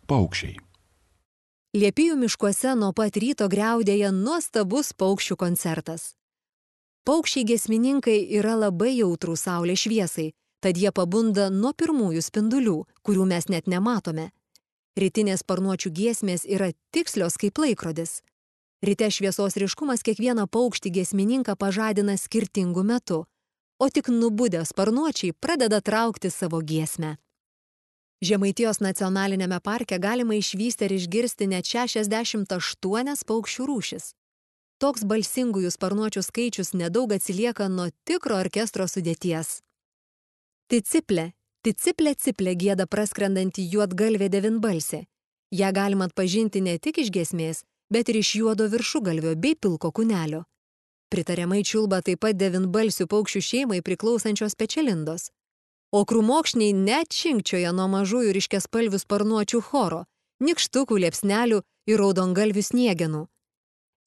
Paukščiai. Liepijų miškuose nuo pat ryto griaudėja nuostabus paukščių koncertas. Paukščiai giesmininkai yra labai jautrūs saulės šviesai, tad jie pabunda nuo pirmųjų spindulių, kurių mes net nematome. Rytinės sparnuočių giesmės yra tikslios kaip laikrodis. Ryte šviesos ryškumas kiekvieną paukštį giesmininką pažadina skirtingu metu, o tik nubudę sparnuočiai pradeda traukti savo giesmę. Žemaitijos nacionaliniame parke galima išvysti ir išgirsti net 68 paukščių rūšis. Toks balsingųjų sparnuočių skaičius nedaug atsilieka nuo tikro orkestro sudėties. Ticiplė, ticiplė ciplė gieda praskrendanti juodgalvė devynbalsė. Ja galima atpažinti ne tik iš giesmės, bet ir iš juodo viršugalvio bei pilko kūnelio. Pritariamai čiulba taip pat devynbalsių paukščių šeimai priklausančios pečialindos. O krūmokšniai net činkčioja nuo mažųjų ryškiaspalvių sparnuočių choro, nykštukų, liepsnelių ir raudongalvių sniegenų.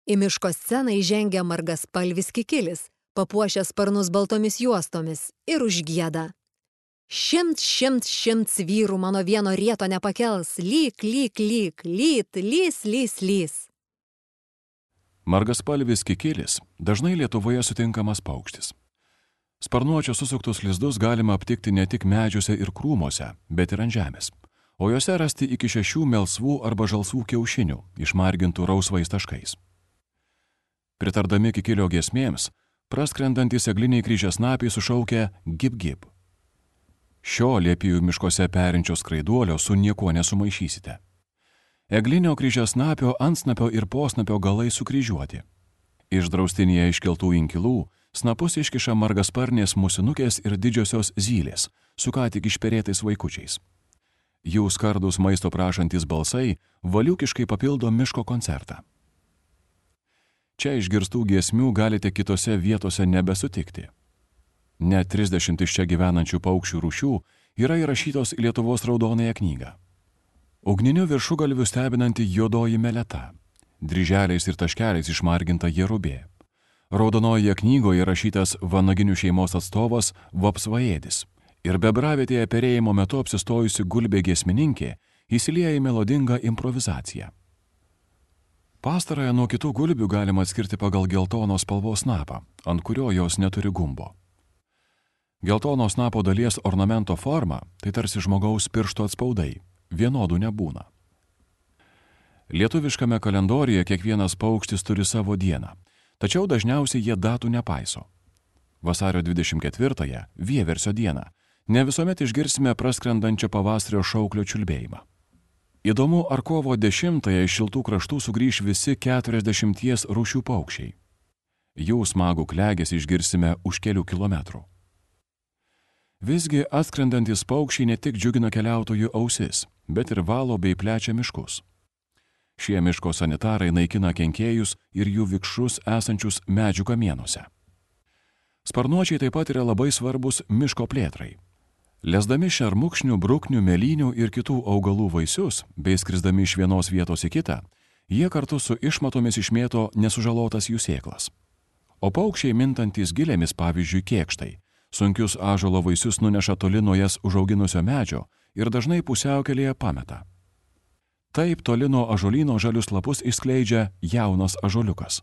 Į miško sceną įžengia margaspalvis kikilis, papuošęs sparnus baltomis juostomis ir užgieda. Šimts vyrų mano vieno rieto nepakels, lyk, lys, lys. Margaspalvis kikilis dažnai Lietuvoje sutinkamas paukštis. Sparnuočio susuktus lizdus galima aptikti ne tik medžiuose ir krūmuose, bet ir ant žemės, o juose rasti iki 6 melsvų arba žalsvų kiaušinių, išmargintų rausvais taškais. Pritardami kikilio giesmėms, praskrendantys egliniai kryžiasnapiai sušaukia gib. Šio liepijų miškuose perinčio skraiduolio su niekuo nesumaišysite. Eglinio kryžiasnapio, antsnapio ir posnapio galai sukryžiuoti. Iš draustinėje iškeltų inkilų snapus iškiša margasparnės musinukės ir didžiosios zylės, su ką tik išperėtais vaikučiais. Jų skardus maisto prašantis balsai valiukiškai papildo miško koncertą. Čia išgirstų giesmių galite kitose vietose nebesutikti. Net 30 iš čia gyvenančių paukščių rūšių yra įrašytos į Lietuvos raudonąją knygą. Ugniniu viršugalviu stebinanti juodoji meleta, dryželiais ir taškeliais išmarginta jerubė. Raudonojoje knygoje rašytas vanaginių šeimos atstovas vapsvaėdis ir bebravietėje perėjimo metu apsistojusi gulbė giesmininkė įsilieja į melodingą improvizaciją. Pastarąją nuo kitų gulbių galima atskirti pagal geltonos spalvos snapą, ant kurio jos neturi gumbo. Geltonos snapo dalies ornamento forma tai tarsi žmogaus piršto atspaudai, vienodų nebūna. Lietuviškame kalendoriuje kiekvienas paukštis turi savo dieną, tačiau dažniausiai jie datų nepaiso. Vasario 24-ąją, vieversio dieną, ne visuomet išgirsime praskrendančią pavasario šauklio čiulbėjimą. Įdomu, ar kovo 10-ąją iš šiltų kraštų sugrįš visi 40 rūšių paukščiai. Jų smagų klegesį išgirsime už kelių kilometrų. Visgi atskrendantis paukščiai ne tik džiugina keliautojų ausis, bet ir valo bei plečia miškus. Šie miško sanitarai naikina kenkėjus ir jų vikšrus esančius medžių kamienuose. Sparnuočiai taip pat yra labai svarbus miško plėtrai. Lesdami šermukšnių, bruknių, mėlynių ir kitų augalų vaisius, bei skrisdami iš vienos vietos į kitą, jie kartu su išmatomis išmėto nesužalotas jų sėklas. O paukščiai mintantys gilėmis, pavyzdžiui, kėkštai, sunkius ąžuolo vaisius nuneša toli nuo jas užauginusio medžio ir dažnai pusiaukelėje pameta. Taip toli nuo ąžuolyno žalius lapus išskleidžia jaunas ąžuoliukas.